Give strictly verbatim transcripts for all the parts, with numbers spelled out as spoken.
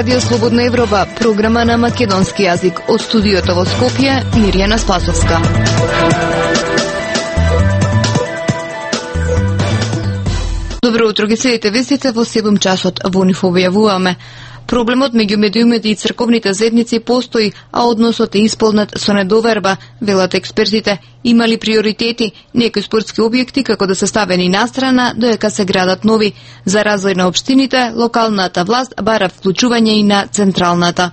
Радио Слободна Европа, програма на македонски јазик. Од студиото во Скопје, Мирјана Спасовска. Добро утро, ги следите вестите во седум часот. Во нив објавуваме: проблемот меѓу медиумите и црковните заедници постои, а односот е исполнет со недоверба, велат експертите. Има ли приоритети? Некои спортски објекти како да се ставени настрана, доека се градат нови. За развој на општините, локалната власт бара вклучување и на централната.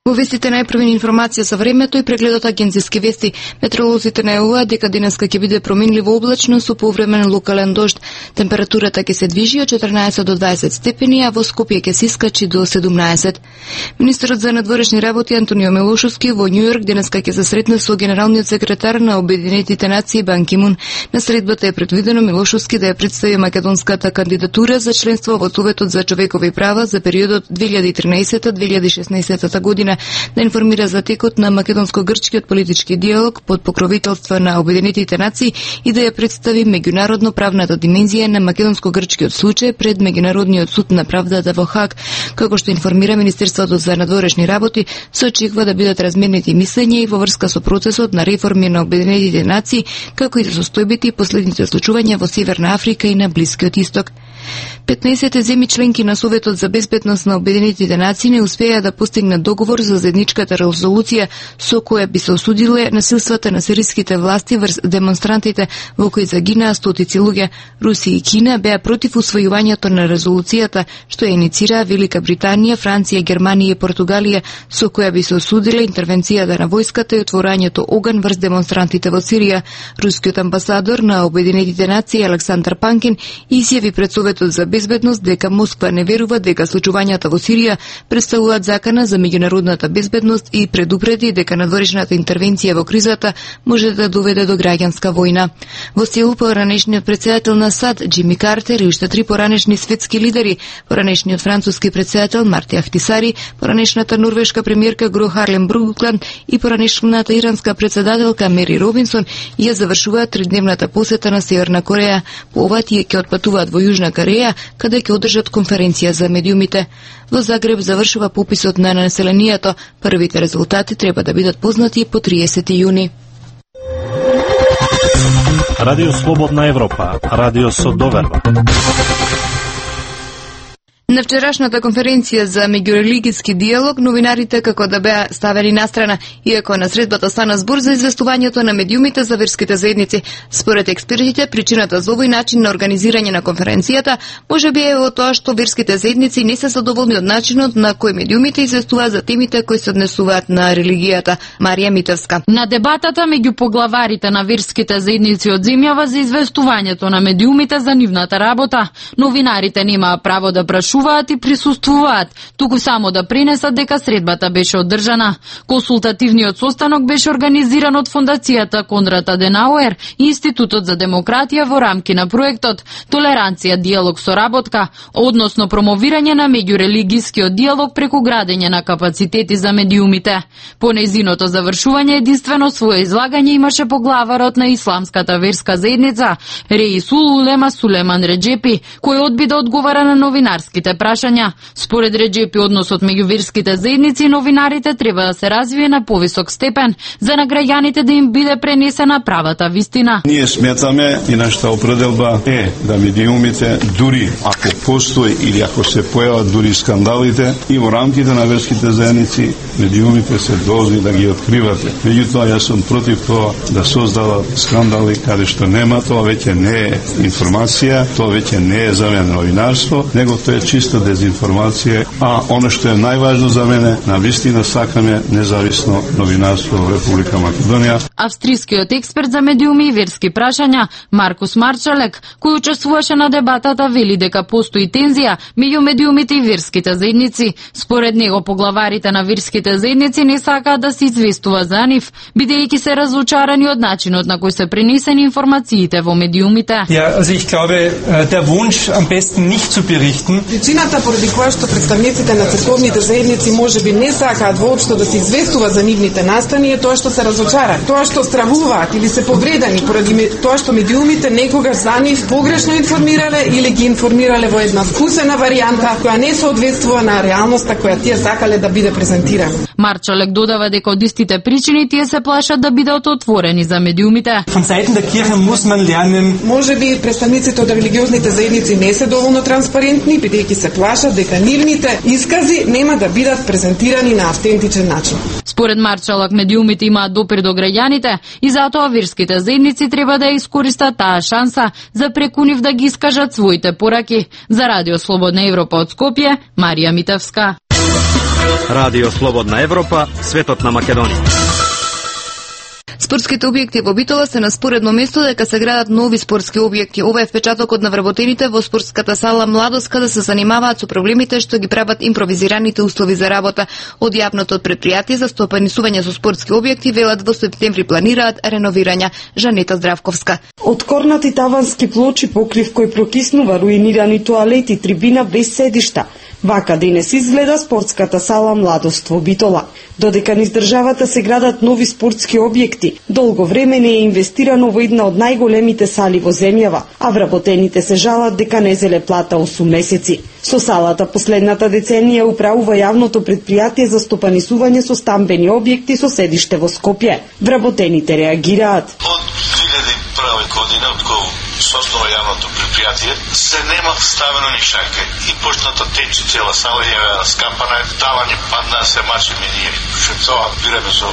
Во вестите најпрвени информација за времето и прегледот агенциски вести. Метеоролозите најавуваат дека денеска ќе биде променливо облачно со повремен локален дожд. Температурата ќе се движи од четрнаесет до дваесет степени, а во Скопје ќе се искачи до седумнаесет. Министерот за надворешни работи Антонио Милошовски во Њујорк денеска ќе се сретне со генералниот секретар на Обединетите нации Бан Ки Мун. На средбата е предвидено Милошовски да ја представи македонската кандидатура за членство во Советот за човекови права за периодот две илјади и тринаесета до две илјади и шеснаесета година, да информира за текот на македонско-грчкиот политички диалог под покровителство на Обединетите нации и да ја представи меѓународно правната димензија на македонско-грчкиот случај пред Меѓународниот суд на правдата во Хаг. Како што информира Министерството за надворешни работи, се очекува да бидат разменети мислења и во врска со процесот на реформи на Обединетите нации, како и за состојбите и последните случувања во Северна Африка и на Блискиот Исток. петнаесет земји членки на Советот за безбедност на Обединетите нации не успеа да постигнат договор за заедничката резолуција со која би се осудиле насилствата на сириските власти врз демонстрантите во кои загинаа стотици луѓе. Русија и Кина беа против усвојувањето на резолуцијата, што ја иницира Велика Британија, Франција, Германија и Португалија, со која би се осудиле интервенцијата на војската и отворањето оган врз демонстрантите во Сирија. Рускиот амбасадор на Обединетите нации Александар Панкин изјави пред Советот за безбедност дека Москва не верува дека случувањата во Сирија представуваат закана за меѓународната безбедност и предупреди дека надворешната интервенција во кризата може да доведе до граѓанска војна. Во Сеул поранешниот председател на САД Џими Картер и уште три поранешни светски лидери, поранешниот француски председател Марти Ахтисари, поранешната норвешка премиерка Гро Харлем Бругланд и поранешната иранска председателка Мери Робинсон ја завршуваат тридневната посета на Северна Кореја. По ова тие ќе отпатуваат во Јужна Кореја, каде ќе одржат конференција за медиумите. Во Загреб завршува пописот на населението. Првите резултати треба да бидат познати по триесети јуни. Радио Слободна Европа, радио со доверба. На вчерашната конференција за меѓурелигиски диалог, новинарите како да беа ставени настрана, иако на средбата стана збор за известувањето на медиумите за верските заедници. Според експертите, причината за овој начин на организирање на конференцијата може би е во тоа што верските заедници не се задоволни од начинот на кој медиумите известуваат за темите кои се однесуваат на религијата. Марија Митовска. На дебатата меѓу поглаварите на верските заедници од земјава за известувањето на медиумите за нивната работа, новинарите немаа право да прашуваат и присуствуваат, туку само да пренесат дека средбата беше одржана. Консултативниот состанок беше организиран од Фондацијата Конрад Аденауер и Институтот за демократија во рамки на проектот Толеранција, диалог со работка, односно промовирање на меѓурелигискиот диалог преку градење на капацитети за медиумите. По нејзиното завршување единствено свое излагање имаше поглаварот на исламската верска заедница Реисул Улема Сулеман Реджепи, кој одби да одговара на новинарските прашања. Според Реджепи, односот меѓу верските заедници и новинарите треба да се развие на повисок степен за на граѓаните да им биде пренесена правата вистина. Ние сметаме и нашата определба е да медиумите, дури ако постои или ако се појават дури скандалите и во рамките на верските заедници, медиумите се должни да ги откривате. Меѓутоа, јас сум против тоа да создават скандали каде што нема, тоа веќе не е информација, тоа веќе не е за мене новинарство, него тоа е чиста дезинформација, а оно што е најважно за мене, на вистина сакаме независно новинарство во Република Македонија. Австрискиот експерт за медиуми и верски прашања Маркус Марчалек, кој учествуваше на дебатата, вели дека постои тензија меѓу медиумите и верските заедници. Според него, поглаварите на верските заедници не сакаат да се известува за нив, бидејќи се разочарани од начинот на кој се пренесени информациите во медиумите. Ja, also ich glaube, der Wunsch am besten nicht zu berichten Причината поради која што представниците на црковните заедници можеби не сакаат воопшто да се известува за нивните настани е тоа што се разочарани, тоа што стравуваат или се повредени поради тоа што медиумите некогаш за нив погрешно информирале или ги информирале во една вкусена варијанта која не соодветствува на реалноста која тие сакале да биде презентирана. Марчалек додава дека од истите причини тие се плашат да бидат отворени за медиумите. Можеби представниците од религиозните заедници не се доволно транспарентни, бидејќи се плашат дека нивните искази нема да бидат презентирани на автентичен начин. Според Марчалек, медиумите имаат допир до граѓаните и затоа верските заедници треба да искористат таа шанса за преку нив да ги искажат своите пораки. За Радио Слободна Европа од Скопје, Марија Митевска. Радио Слободна Европа, светот на Македонија. Спортските објекти во Битола се на споредно место дека се градат нови спортски објекти. Ова е впечатокот на вработените во спортската сала Младост, каде се занимаваат со проблемите што ги прават импровизираните услови за работа. Од јавното предпријатие за стопанисување со спортски објекти велат во септември планираат реновирања. Жанета Здравковска. Откорнати тавански плочи, покрив кој прокиснува, руинирани тоалети, трибина без седишта. Вака денес изгледа спортската сала Младост во Битола. Додека низ државата се градат нови спортски објекти, долго време не е инвестирано во една од најголемите сали во земјава, а вработените се жалат дека не зеле плата осум месеци. Со салата последната деценија управува јавното предпријатие за стопанисување со стамбени објекти со седиште во Скопје. Вработените реагираат. Од две илјади и прва година, од кога со основа јавното предпријатие, се нема ставено ни шајка и почната тече цела сала е скапана, давање падна се мачи минири. Шуцова бираме со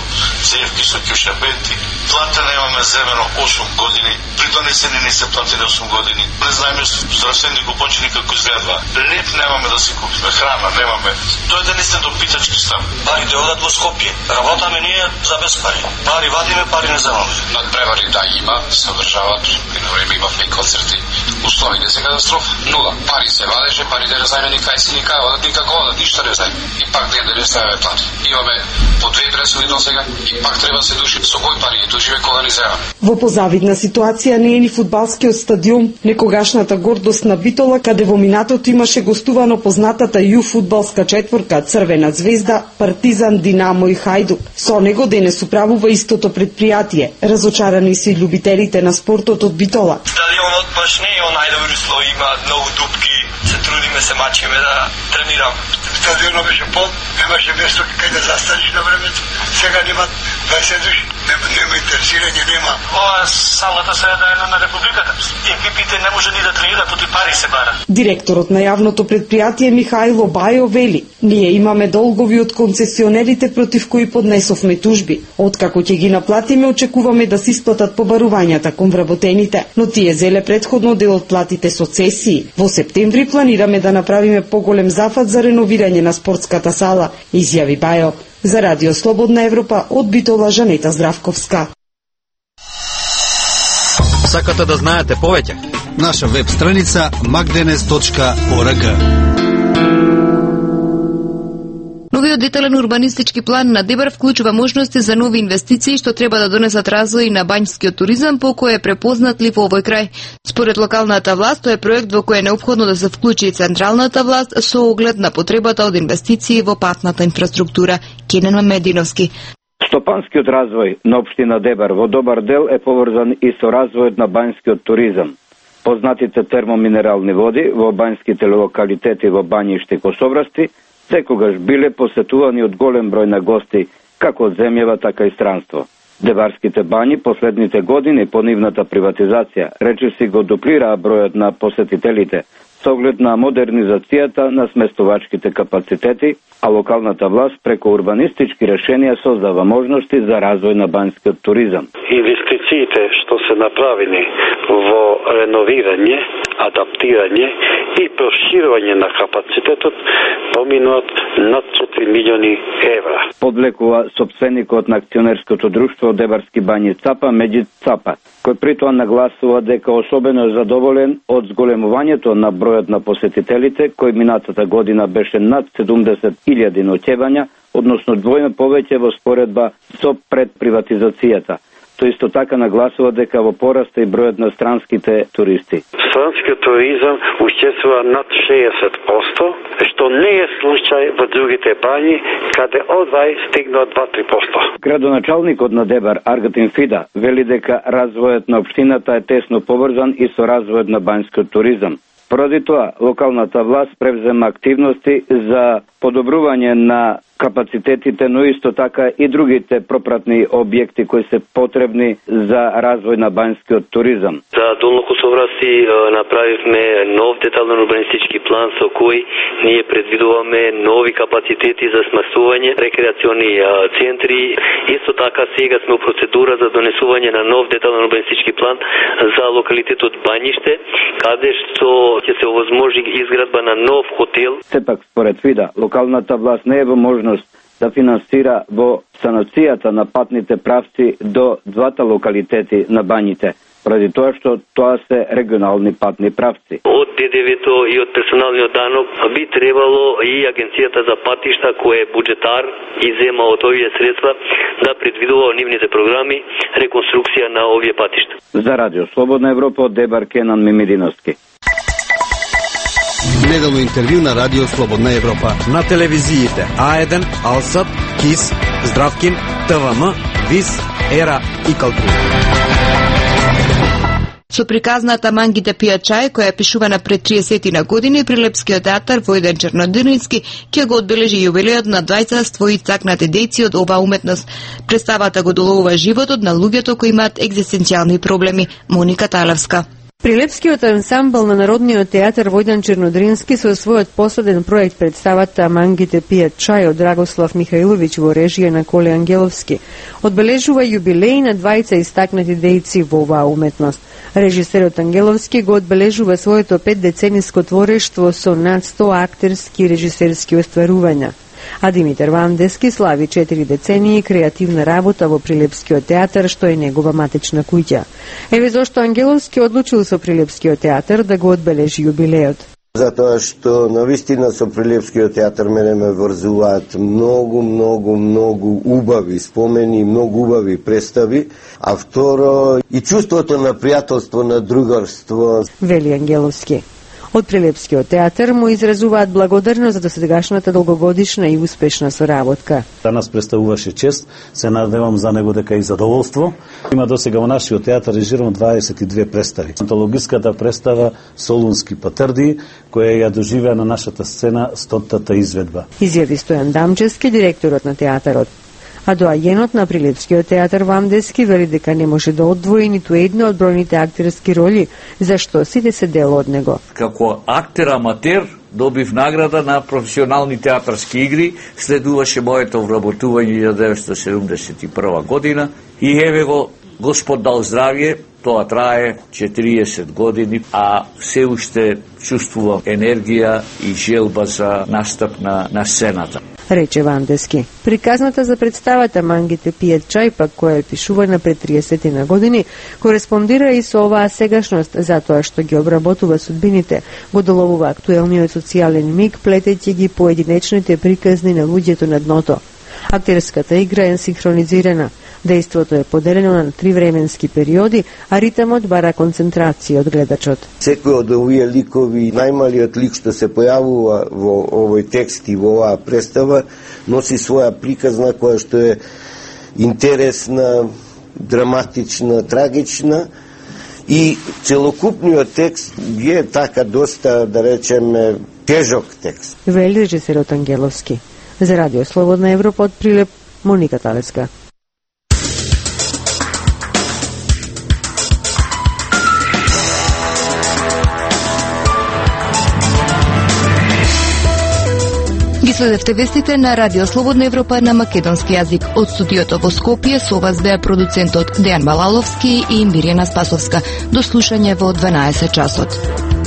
цевки, со кјушабенти. Плата немаме земено осум години, придонесени не се платени осум години. Не знаеме здравствени купочини како изгледва. Леп немаме да си купиме, храна немаме. Тоа е да не сте до питачки стан. Пари да одат во Скопје. Работаме ние за без пари. Пари вадиме, пари не земаме. Надпревари да има, се одржават. Едно време имавме и концерти. Условите се катастрофа. Нула. Пари се вадеше, пари да не знаеме ни кај си, ни кај одат, никако одат, ништо не знаеме. И пак ден да не ставаме плати. Имаме по две пресуди до сега и пак треба се души со кој пари ги душиме кога ни земаме. Во позавидна ситуација не е ни фудбалскиот стадион, некогашната гордост на Битола, каде во минатото имаше гостувано познатата ју фудбалска четворка Црвена звезда, Партизан, Динамо и Хајдук. Со него денес управува истото предпријатие. Разочарани се и љубителите на спортот од Битола. Стадионот баш не е најдобри услови, има многу дупки, се трудиме, се мачиме да тренирам. Стадионот беше пол, немаше место кај да застанеш на времето. Сега нема дваесет души, нема, нема интересирање, нема. Ова салата се да е на републиката. Екипите не може ни да тренираат, поти пари се бара. Директорот на јавното предпријатие Михајло Бајо вели: ние имаме долгови од концесионерите против кои поднесовме тужби. Откако ќе ги наплатиме, очекуваме да се исплатат побарувањата кон вработените, но тие зеле предходно дел од платите со цесии. Во септември планираме да направиме поголем зафат за реновирање на спортската сала, изјави Бајо. За Радио Слободна Европа од Битола, Жанета Здравковска. Сакате да знаете повеќе? Наша веб страница magdenes точка org. Новиот детален урбанистички план на Дебар вклучува можности за нови инвестиции што треба да донесат развој на бањскиот туризам, по кој е препознатлив во овој крај. Според локалната власт, тоа е проект во кој е неопходно да се вклучи и централната власт со оглед на потребата од инвестиции во патната инфраструктура. Кенен Мамединовски. Стопанскиот развој на општина Дебар во добар дел е поврзан и со развојот на бањскиот туризам. Познатите термоминерални води во бањските локалитети во Бањиште и Косоврасти секогаш биле посетувани од голем број на гости, како од земјава, така и странство. Дебарските бањи последните години по нивната приватизација речиси го дуплираа бројот на посетителите со оглед на модернизацијата на сместувачките капацитети, а локалната власт преку урбанистички решенија создава можности за развој на бањскиот туризам. Инвестициите што се направени во реновирање, адаптирање и проширување на капацитетот поминуваат над четири милиони евра. Подлекува сопственикот на акционерското друштво Дебарски бањи Цапа, Меджид Цапа, кој притоа нагласува дека особено е задоволен од зголемувањето на бројот на посетителите, кој минатата година беше над седумдесет илјади ноќевања, односно двојно повеќе во споредба со предприватизацијата. што исто така нагласува дека во пораста и бројот на странските туристи. Странскиот туризам учествува над шеесет проценти, што не е случај во другите бањи, каде одвај стигнува два-три проценти. Градоначалникот на Дебар, Аргатин Фида, вели дека развојот на општината е тесно поврзан и со развојот на бањскиот туризам. Поради тоа, локалната власт превзема активности за подобрување на капацитетите, но исто така и другите пропратни објекти кои се потребни за развој на бањскиот туризам. За Долно Косовраси направивме нов детален урбанистички план со кој ние предвидуваме нови капацитети за сместување, рекреациони центри. Исто така сега сме у процедура за донесување на нов детален урбанистички план за локалитетот Бањиште, каде што ќе се овозможи изградба на нов хотел. Сепак, според Фида, локалната власт не е во можност да финансира во санацијата на патните правци до двата локалитети на Бањите, поради тоа што тоа се регионални патни правци. Од Д Д В-то и од персоналниот данок би требало и Агенцијата за патишта, која е буџетар и зема од овие средства, да предвидува нивните програми реконструкција на овие патишта. За Радио Слободна Европа од Дебар, Кенан Мимидиновски. Неделно интервју на Радио Слободна Европа. На телевизиите А еден, Алсат, КИС, Здравкин, Т В М, ВИС, Ера и Калтур. Со приказната Мангите пијат чај, која е пишувана пред триесет на години, Прилепскиот театар Војден Чернодирински ќе го одбележи јубилеот на двајца ствои цакнати дејци од оваа уметност. Представата го доловува животот на луѓето кои имаат екзистенцијални проблеми. Моника Талевска. Прилепскиот ансамбл на Народниот театар Војдан Чернодрински со својот последен проект представата Мангите пијат чај од Драгослав Михаиловиќ во режија на Коле Ангеловски одбележува јубилеј на двајца истакнати дејци во оваа уметност. Режисерот Ангеловски го одбележува своето петдецениско творештво со над сто актерски и режисерски остварувања. А Димитар Вандески слави четири децении креативна работа во Прилепскиот театар, што е негова матична куќа. Еве зошто Ангеловски одлучил со Прилепскиот театар да го одбележи јубилеот. Затоа што навистина со Прилепскиот театар мене ме врзуваат многу, многу, многу убави спомени, многу убави представи, а второ и чувството на пријателство, на другарство. Вели Ангеловски. Од Прилепскиот театар му изразуваат благодарност за досегашната долгогодишна и успешна соработка. Данас представуваше чест, се надевам за него дека и задоволство. Има досега во нашиот театар режирано дваесет и две представи. Антологиската представа Солунски патрди, која ја доживеа на нашата сцена стотата изведба. Изјави Стојан Дамчевски, директорот на театарот. А доаѓенот на Прилепскиот театар Вамдески вели дека не може да одвои ниту една од бројните актерски роли, зашто сите се дел од него. Како актер аматер добив награда на професионални театарски игри, следуваше моето вработување илјада деветстотини седумдесет и прва година и еве го Господ дал здравје, тоа трае четириесет години, а се уште чувствувам енергија и желба за настап на, на сцената. Рече Вандески. Приказната за представата Мангите пијат чај, пак која е пишувана пред триесет на години, кореспондира и со оваа сегашност, затоа што ги обработува судбините, го доловува актуелниот социјален миг, плетејќи ги поединечните приказни на луѓето на дното. Актерската игра е синхронизирана. Дејството е поделено на три временски периоди, а ритмот бара концентрација од гледачот. Секој од овие ликови, најмалиот лик што се појавува во овој текст и во оваа представа, носи своја приказна која што е интересна, драматична, трагична и целокупниот текст е така доста, да речеме, тежок текст. Вели режисерот Ангеловски. За Радио Слободна Европа од Прилеп, Моника Талеска. Ги следевте вестите на Радио Слободна Европа на македонски јазик. Од студиото во Скопје со вас беа продуцентот Дејан Балаловски и Мирјана Спасовска. До слушање во дванаесет часот.